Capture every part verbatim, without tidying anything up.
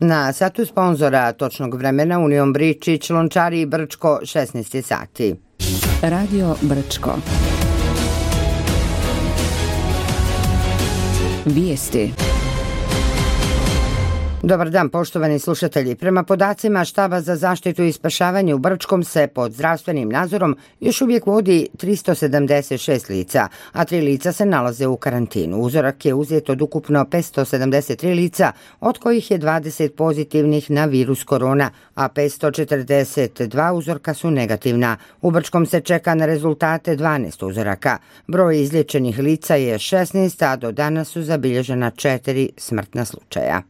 Na satu sponzora točnog vremena Union Bričić, Lončari i Brčko, šesnaest sati. Radio Brčko. Vijesti. Dobar dan, poštovani slušatelji. Prema podacima Štaba za zaštitu i spašavanje u Brčkom se pod zdravstvenim nadzorom još uvijek vodi tristo sedamdeset šest lica, a tri lica se nalaze u karantinu. Uzorak je uzet od ukupno petsto sedamdeset tri lica, od kojih je dvadeset pozitivnih na virus korona, a petsto četrdeset dva uzorka su negativna. U Brčkom se čeka na rezultate dvanaest uzoraka. Broj izliječenih lica je šesnaest, a do danas su zabilježena četiri smrtna slučaja.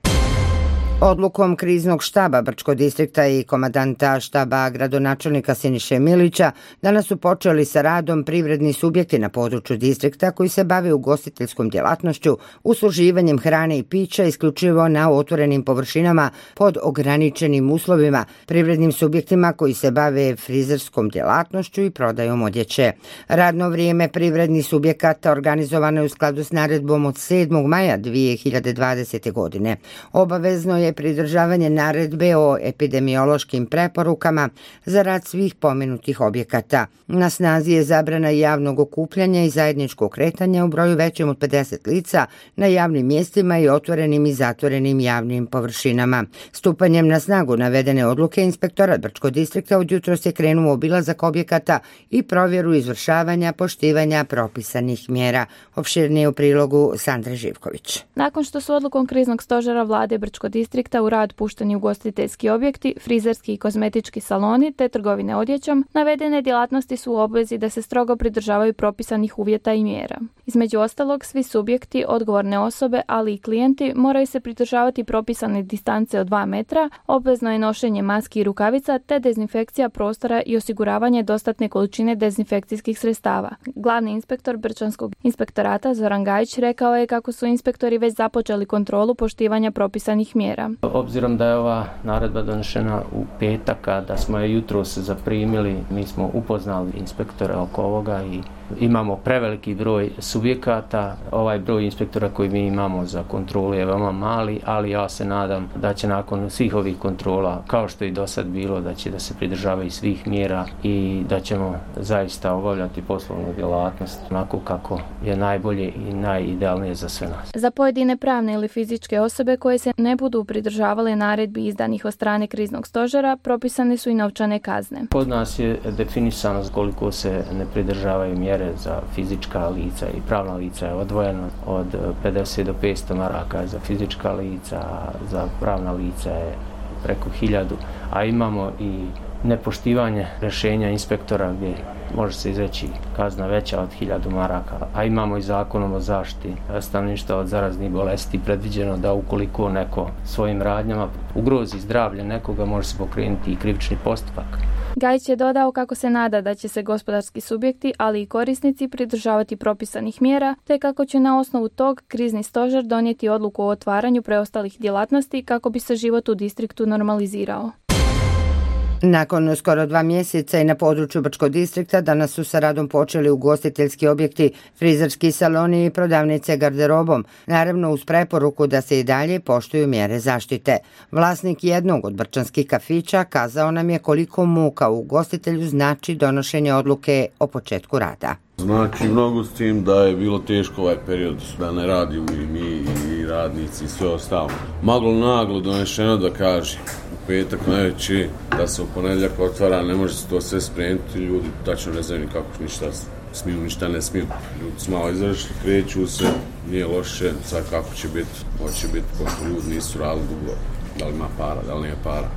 Odlukom kriznog štaba Brčkog distrikta i komandanta štaba gradonačelnika Siniše Milića danas su počeli sa radom privredni subjekti na području distrikta koji se bave ugostiteljskom djelatnošću, usluživanjem hrane i pića isključivo na otvorenim površinama pod ograničenim uslovima, privrednim subjektima koji se bave frizerskom djelatnošću i prodajom odjeće. Radno vrijeme privrednih subjekata organizovano je u skladu s naredbom od sedmog maja dvije hiljade dvadesete. godine. Obavezno je pridržavanje naredbe o epidemiološkim preporukama za rad svih pomenutih objekata. Na snazi je zabrana javnog okupljanja i zajedničkog kretanja u broju većem od pedeset lica na javnim mjestima i otvorenim i zatvorenim javnim površinama. Stupanjem na snagu navedene odluke Inspektorat Brčkog distrikta od jutros je krenuo obilazak objekata i provjeru izvršavanja poštivanja propisanih mjera. Opširnije u prilogu Sandre Živković. Nakon što su odlukom kriznog stožera vlade Brčkog distrikta u rad pušteni ugostiteljski objekti, frizerski i kozmetički saloni te trgovine odjećom, navedene djelatnosti su u obvezi da se strogo pridržavaju propisanih uvjeta i mjera. Između ostalog, svi subjekti, odgovorne osobe, ali i klijenti moraju se pridržavati propisane distance od dva metra, obvezno je nošenje maski i rukavica te dezinfekcija prostora i osiguravanje dostatne količine dezinfekcijskih sredstava. Glavni inspektor Brčanskog inspektorata Zoran Gajić rekao je kako su inspektori već započeli kontrolu poštivanja propisanih mjera. Obzirom da je ova naredba donešena u petak, a da smo je jutros zaprimili, mi smo upoznali inspektore oko ovoga i imamo preveliki broj subjekata. Ovaj broj inspektora koji mi imamo za kontrolu je veoma mali, ali ja se nadam da će nakon svih ovih kontrola, kao što i do sad bilo, da će da se pridržavaju svih mjera i da ćemo zaista obavljati poslovnu djelatnost onako kako je najbolje i najidealnije za sve nas. Za pojedine pravne ili fizičke osobe koje se ne budu pridržavale naredbi izdanih od strane kriznog stožera, propisane su i novčane kazne. Kod nas je definisano koliko se ne pridržavaju mjere za fizička lica i pravna lica je odvojeno od pedeset do petsto maraka za fizička lica, za pravna lica je preko hiljadu, a imamo i nepoštivanje rješenja inspektora gdje može se izreći kazna veća od hiljadu maraka, a imamo i zakonom o zaštiti stanovništva od zaraznih bolesti predviđeno da ukoliko neko svojim radnjama ugrozi zdravlje nekoga, može se pokrenuti i krivični postupak. Gajić je dodao kako se nada da će se gospodarski subjekti, ali i korisnici pridržavati propisanih mjera, te kako će na osnovu tog krizni stožer donijeti odluku o otvaranju preostalih djelatnosti kako bi se život u distriktu normalizirao. Nakon skoro dva mjeseca i na području Brčkog distrikta danas su sa radom počeli ugostiteljski objekti, frizerski saloni i prodavnice garderobom, naravno uz preporuku da se i dalje poštuju mjere zaštite. Vlasnik jednog od brčanskih kafića kazao nam je koliko muka u ugostitelju znači donošenje odluke o početku rada. Znači mnogo s tim da je bilo teško ovaj period, da ne radimo i mi i radnici i sve ostalo. Maglo naglo donešeno da kaže u petak najveći da se u ponedjeljak otvara, ne može se to sve spremiti, ljudi tačno ne znaju kako ništa smiju, ništa ne smiju. Ljudi su malo izašli, kreću se, nije loše, sad kako će biti, hoće biti, pošto ljudi nisu radili dugo, da li ima para, da li nije para.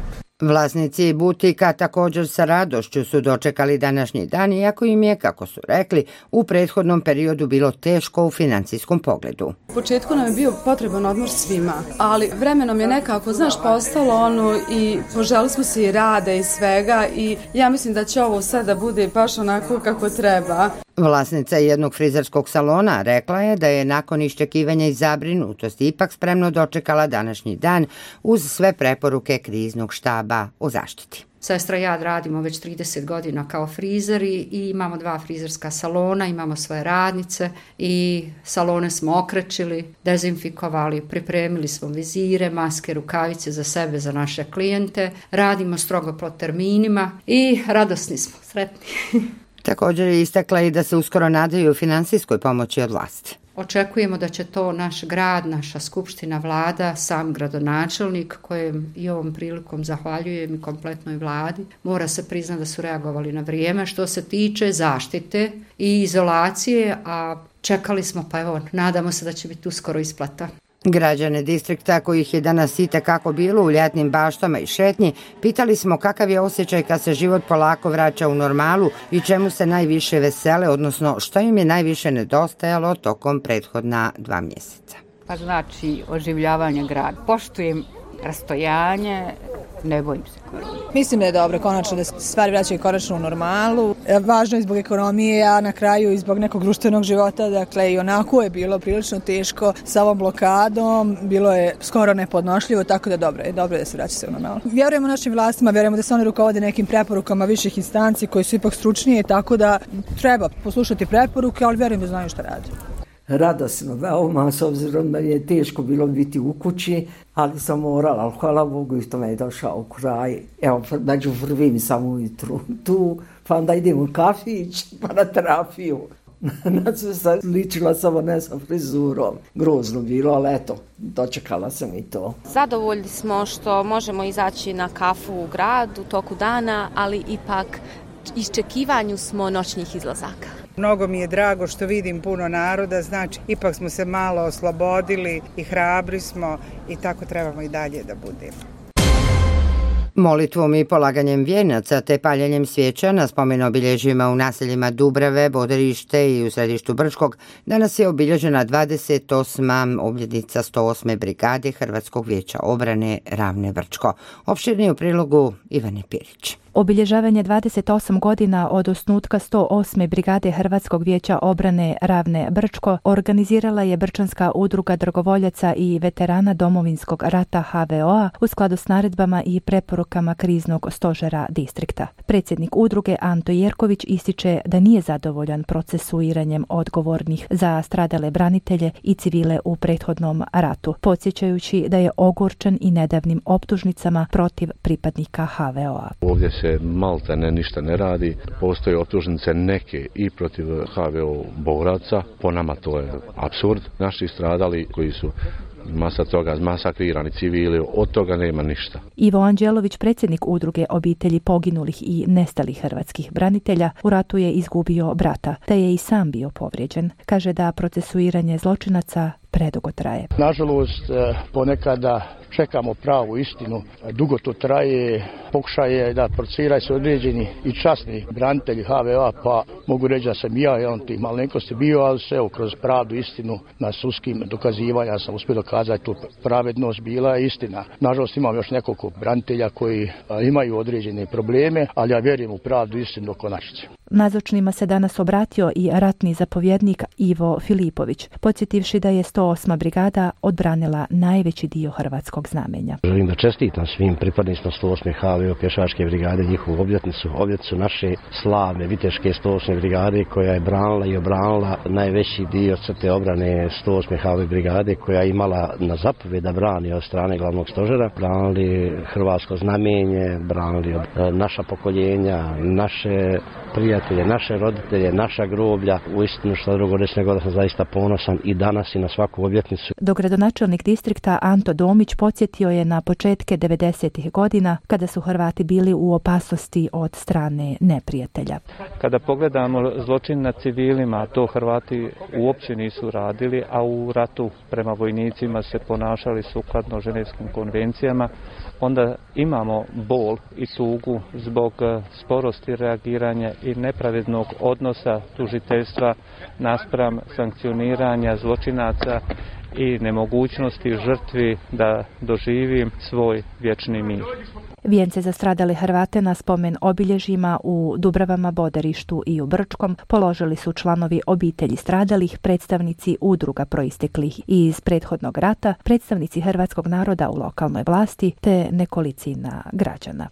Vlasnici butika također sa radošću su dočekali današnji dan, iako im je, kako su rekli, u prethodnom periodu bilo teško u financijskom pogledu. U početku nam je bio potreban odmor svima, ali vremenom je nekako, znaš, postalo ono i poželi smo se i rada i svega i ja mislim da će ovo sada bude baš onako kako treba. Vlasnica jednog frizerskog salona rekla je da je nakon iščekivanja i zabrinutosti ipak spremno dočekala današnji dan uz sve preporuke kriznog štaba o zaštiti. Sestra i ja radimo već trideset godina kao frizeri i imamo dva frizerska salona, imamo svoje radnice i salone smo okrećili, dezinfikovali, pripremili smo vizire, maske, rukavice za sebe, za naše klijente, radimo strogo po terminima i radosni smo, sretni. Također je istakla i da se uskoro nadaju finansijskoj pomoći od vlasti. Očekujemo da će to naš grad, naša skupština, vlada, sam gradonačelnik, kojem i ovom prilikom zahvaljujem i kompletnoj vladi. Mora se priznati da su reagovali na vrijeme što se tiče zaštite i izolacije, a čekali smo, pa evo, nadamo se da će biti uskoro isplata. Građane distrikta, kojih je danas itekako bilo u ljetnim baštama i šetnji, pitali smo kakav je osjećaj kad se život polako vraća u normalu i čemu se najviše vesele, odnosno što im je najviše nedostajalo tokom prethodna dva mjeseca. Pa znači oživljavanje grada. Poštujem rastojanje, ne bojim se korona. Mislim da je dobro konačno da se stvari vraćaju konačno u normalu. Važno je zbog ekonomije, a na kraju i zbog nekog društvenog života. Dakle, i onako je bilo prilično teško sa ovom blokadom. Bilo je skoro nepodnošljivo, tako da dobro je, dobro je da se vraća sve u normalu. Vjerujemo našim vlastima, vjerujemo da se oni rukovode nekim preporukama viših instanci koji su ipak stručnije, tako da treba poslušati preporuke, ali vjerujem da znaju šta radi. Radosno, veoma, s obzirom da je teško bilo biti u kući, ali sam morala, ali hvala Bogu i to me je došao kraj. Evo, među prvim sam ujutru tu, pa onda idem u kafić, pa na terapiju. Na sve sam ličila samo ne sa frizurom. Grozno bilo, ali eto, dočekala sam i to. Zadovoljni smo što možemo izaći na kafu u grad u toku dana, ali ipak iščekivanju smo noćnih izlazaka. Mnogo mi je drago što vidim puno naroda, znači ipak smo se malo oslobodili i hrabri smo i tako trebamo i dalje da budemo. Molitvom i polaganjem vijenaca te paljenjem svijeća na spomen obilježjima u naseljima Dubrave, Boderište i u središtu Brčkog danas je obilježena dvadeset osma obljetnica sto osme brigade Hrvatskog vijeća obrane Ravne Brčko. Opširnije u prilogu Ivane Pirić. Obilježavanje dvadeset osam godina od osnutka sto osme brigade Hrvatskog vijeća obrane Ravne Brčko organizirala je Brčanska udruga dragovoljaca i veterana Domovinskog rata H V O-a u skladu s naredbama i preporukama kriznog stožera distrikta. Predsjednik udruge Anto Jerković ističe da nije zadovoljan procesuiranjem odgovornih za stradale branitelje i civile u prethodnom ratu, podsjećajući da je ogorčen i nedavnim optužnicama protiv pripadnika H V O-a. Ovdje se malta ne ništa ne radi, postoje optužnice neke i protiv H V O boraca, po nama to je apsurd. Naši stradali koji su masa toga masakrirani civili, od toga nema ništa. Ivo Anđelović, predsjednik udruge obitelji poginulih i nestalih hrvatskih branitelja, u ratu je izgubio brata, te je i sam bio povrijeđen. Kaže da procesuiranje zločinaca predugo traje. Nažalost, ponekada čekamo pravu istinu, dugo to traje, pokušaje da procesiraju se određeni i časni branitelji H V O-a, pa mogu reći da sam ja jedan tih malenkosti bio, ali se evo, kroz pravdu istinu na sudskim dokazivanja sam uspio dokazati tu pravednost, bila je istina. Nažalost imam još nekoliko branitelja koji a, imaju određene probleme, ali ja vjerujem u pravdu istinu do konačnice. Nazočnima se danas obratio i ratni zapovjednik Ivo Filipović, podsjetivši da je sto osma brigada odbranila najveći dio hrvatskog znamenja. Želim da čestitam svim pripadnicima sto osme H V O pješačke brigade njihovu obljetnicu, obljetnicu naše slavne viteške sto osme brigade koja je branila i obranila najveći dio crte obrane sto osme H V O brigade koja je imala na zapovjed da brani od strane glavnog stožera, branili hrvatsko znamenje, branili naša pokoljenja, naše prijatelje, naše roditelje, naša groblja. Uistinu što drugo reći nego da sam zaista ponosan i danas i na svaku obljetnicu. Dogradonačelnik distrikta Anto Domić podsjetio je na početke devedesetih godina kada su Hrvati bili u opasnosti od strane neprijatelja. Kada pogledamo zločin nad civilima, to Hrvati uopće nisu radili, a u ratu prema vojnicima se ponašali sukladno ženevskim konvencijama, onda imamo bol i tugu zbog sporosti reagiranja i nepravednog odnosa tužiteljstva naspram sankcioniranja zločinaca i nemogućnosti žrtvi da doživi svoj vječni mir. Vijence za stradale Hrvate na spomen obilježjima u Dubravama, Bodarištu i u Brčkom položili su članovi obitelji stradalih, predstavnici udruga proisteklih iz prethodnog rata, predstavnici hrvatskog naroda u lokalnoj vlasti te nekolicina građana.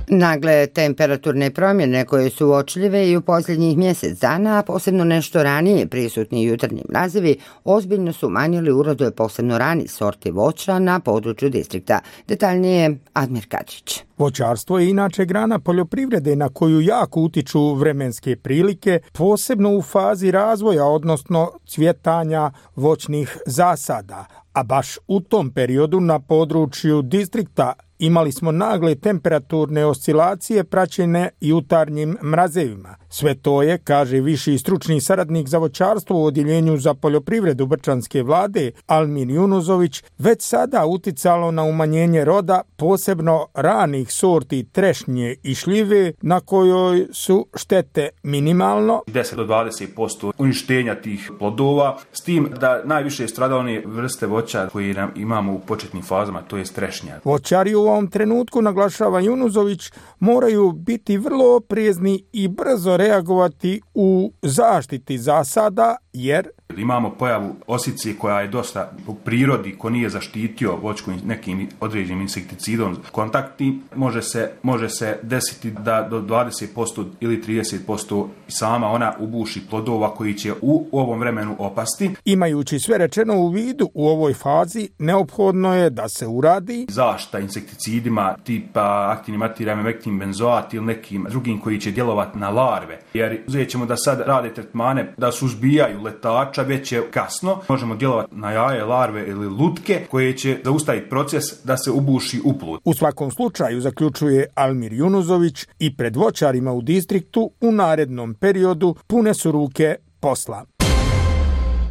Nagle temperaturne promjene koje su uočljive i u posljednjih mjesec dana, a posebno nešto ranije prisutni jutarnji mrazevi, ozbiljno su umanjili urodu posebno rani sorti voća na području distrikta. Detaljnije Admir Kadžić. Voćarstvo je inače grana poljoprivrede na koju jako utiču vremenske prilike, posebno u fazi razvoja, odnosno cvjetanja voćnih zasada. A baš u tom periodu na području distrikta imali smo nagle temperaturne oscilacije praćene jutarnjim mrazevima. Sve to je, kaže viši stručni saradnik za voćarstvo u odjeljenju za poljoprivredu Brčanske vlade Almir Junuzović, već sada uticalo na umanjenje roda, posebno ranih sorti trešnje i šljive, na kojoj su štete minimalno. deset do dvadeset posto uništenja tih plodova, s tim da najviše stradale one vrste voća koje imamo u početnim fazama, to je trešnja. Voćari u ovom trenutku, naglašava Junuzović, moraju biti vrlo oprezni i brzo reagovati u zaštiti zasada, jer imamo pojavu osice koja je dosta u prirodi, ko nije zaštitio voćku nekim određenim insekticidom kontakti, može se, može se desiti da do dvadeset posto ili trideset posto sama ona ubuši plodova koji će u ovom vremenu opasti. Imajući sve rečeno u vidu u ovoj fazi, neophodno je da se uradi zaštita insekticidima tipa aktivnim materijama, mektim benzoat ili nekim drugim koji će djelovati na larve. Jer uzet ćemo da sad rade tretmane da suzbijaju letača, već je kasno. Možemo djelovati na jaje, larve ili lutke koje će zaustaviti proces da se ubuši u plod. U svakom slučaju, zaključuje Almir Junuzović, i pred voćarima u distriktu u narednom periodu pune su ruke posla.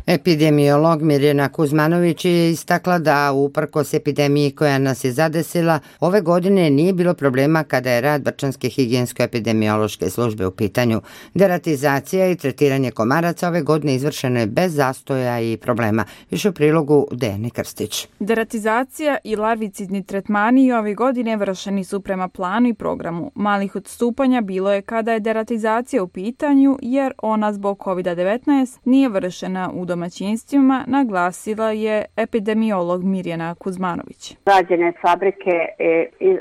Epidemiolog Mirjana Kuzmanović je istakla da uprkos epidemiji koja nas je zadesila, ove godine nije bilo problema kada je rad Brčanske higijensko-epidemiološke službe u pitanju. Deratizacija i tretiranje komaraca ove godine izvršeno je bez zastoja i problema. Više u prilogu Dejane Krstić. Deratizacija i larvicidni tretmani ove godine vršeni su prema planu i programu. Malih odstupanja bilo je kada je deratizacija u pitanju, jer ona zbog kovid devetnaest nije vršena u domaćinstvima, naglasila je epidemiolog Mirjana Kuzmanović. Rađene fabrike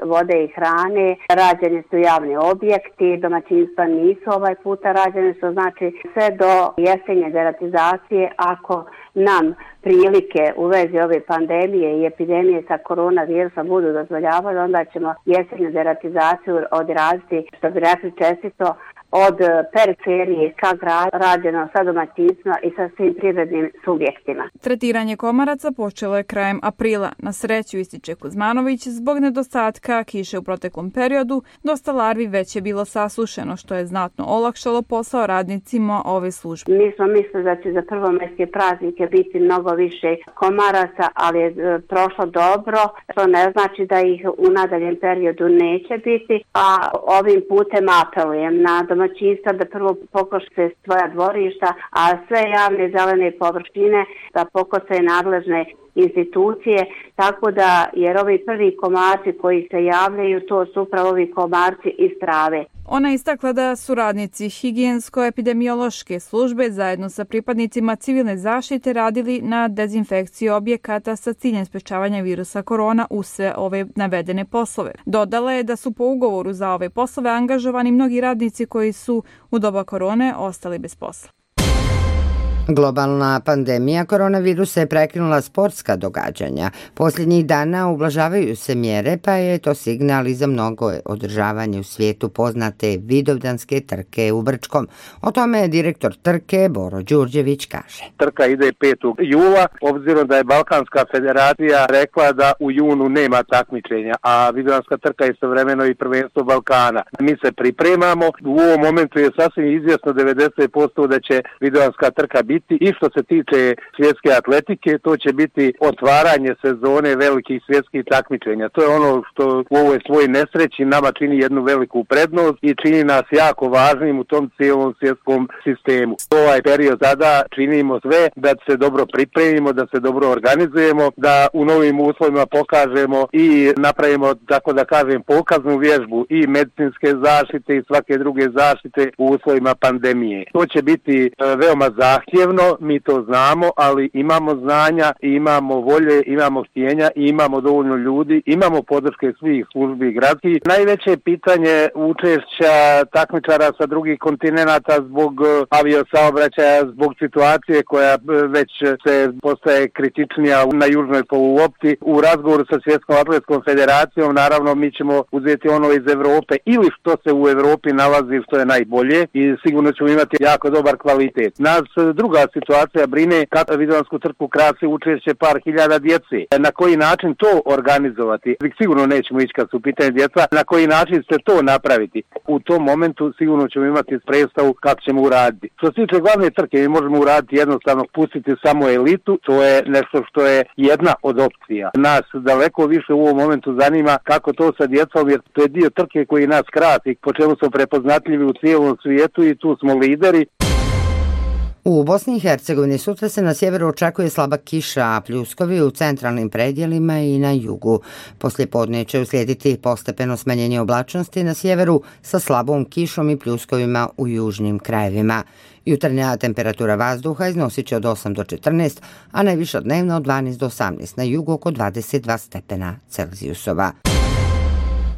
vode i hrane, rađeni su javni objekti, domaćinstva nisu ovaj puta rađene, što znači sve do jesenje deratizacije, ako nam prilike u vezi ove pandemije i epidemije sa koronavirusom budu dozvoljavali, onda ćemo jesenju deratizaciju odraditi, što bi rekli čestito, od periferije ka gradu, rađeno sa domaćinstvima i sa svim privrednim subjektima. Tretiranje komaraca počelo je krajem aprila. Na sreću, ističe Kuzmanović, zbog nedostatka kiše u proteklom periodu, dosta larvi već je bilo sasušeno, što je znatno olakšalo posao radnicima ove službe. Mi smo mislili da će za prvomajske praznike biti mnogo više komaraca, ali je prošlo dobro, što ne znači da ih u nadaljem periodu neće biti, a ovim putem apelujem na domaćinstva da prvo pokose svoja dvorišta, a sve javne zelene površine da pokose nadležne institucije, tako da, jer ovi prvi komarci koji se javljaju, to su upravo ovi komarci iz trave. Ona istakla da su radnici higijensko-epidemiološke službe zajedno sa pripadnicima civilne zaštite radili na dezinfekciji objekata sa ciljem sprečavanja virusa korona u sve ove navedene poslove. Dodala je da su po ugovoru za ove poslove angažovani mnogi radnici koji su u doba korone ostali bez posla. Globalna pandemija koronavirusa je prekinula sportska događanja. Posljednjih dana ublažavaju se mjere, pa je to signal i za mnogo održavanje u svijetu poznate Vidovdanske trke u Brčkom. O tome je direktor trke Boro Đurđević kaže. Trka ide petog jula, obzirom da je Balkanska federacija rekla da u junu nema takmičenja, a Vidovdanska trka je istovremeno i prvenstvo Balkana. Mi se pripremamo, u ovom momentu je sasvim izvjesno devedeset posto da će Vidovdanska trka biti biti i što se tiče svjetske atletike, to će biti otvaranje sezone velikih svjetskih takmičenja. To je ono što u ovoj svojoj nesreći nama čini jednu veliku prednost i čini nas jako važnim u tom cijelom svjetskom sistemu. Ovaj period sada činimo sve da se dobro pripremimo, da se dobro organizujemo, da u novim uslovima pokažemo i napravimo, tako da kažem, pokaznu vježbu i medicinske zaštite i svake druge zaštite u uslovima pandemije. To će biti veoma zahtjevno, mi to znamo, ali imamo znanja, imamo volje, imamo htjenja i imamo dovoljno ljudi, imamo podrške svih službi gradskih. Najveće pitanje učešća takmičara sa drugih kontinenata zbog aviosaobraćaja, zbog situacije koja već se postaje kritičnija na južnoj poluopti. U razgovoru sa Svjetskom atletskom federacijom naravno mi ćemo uzeti ono iz Europe ili što se u Europi nalazi što je najbolje i sigurno ćemo imati jako dobar kvalitet. Nas druga situacija brine kako Vidovansku trku krasi učešće par hiljada djece. Na koji način to organizovati? Sigurno nećemo ići kad su pitanje djeca. Na koji način se to napraviti? U tom momentu sigurno ćemo imati predstavu kako ćemo uraditi. Što se tiče glavne trke, mi možemo uraditi jednostavno pustiti samo elitu. To je nešto što je jedna od opcija. Nas daleko više u ovom momentu zanima kako to sa djecom, jer to je dio trke koji nas krati, po čemu smo prepoznatljivi u cijelom svijetu i tu smo lideri. U Bosni i Hercegovini sutra se na sjeveru očekuje slaba kiša, a pljuskovi u centralnim predjelima i na jugu. Poslije podne će uslijediti postepeno smanjenje oblačnosti na sjeveru sa slabom kišom i pljuskovima u južnim krajevima. Jutarnja temperatura vazduha iznosit će od osam do četrnaest, a najviša dnevna od dvanaest do osamnaest, na jugu oko dvadeset dva stepena Celzijusova.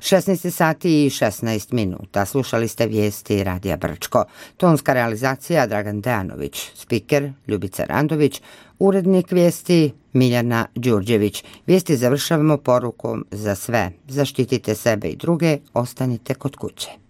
šesnaest sati i šesnaest minuta. Slušali ste vijesti Radija Brčko. Tonska realizacija Dragan Dejanović, spiker Ljubica Randović, urednik vijesti Miljana Đurđević. Vijesti završavamo porukom za sve. Zaštitite sebe i druge, ostanite kod kuće.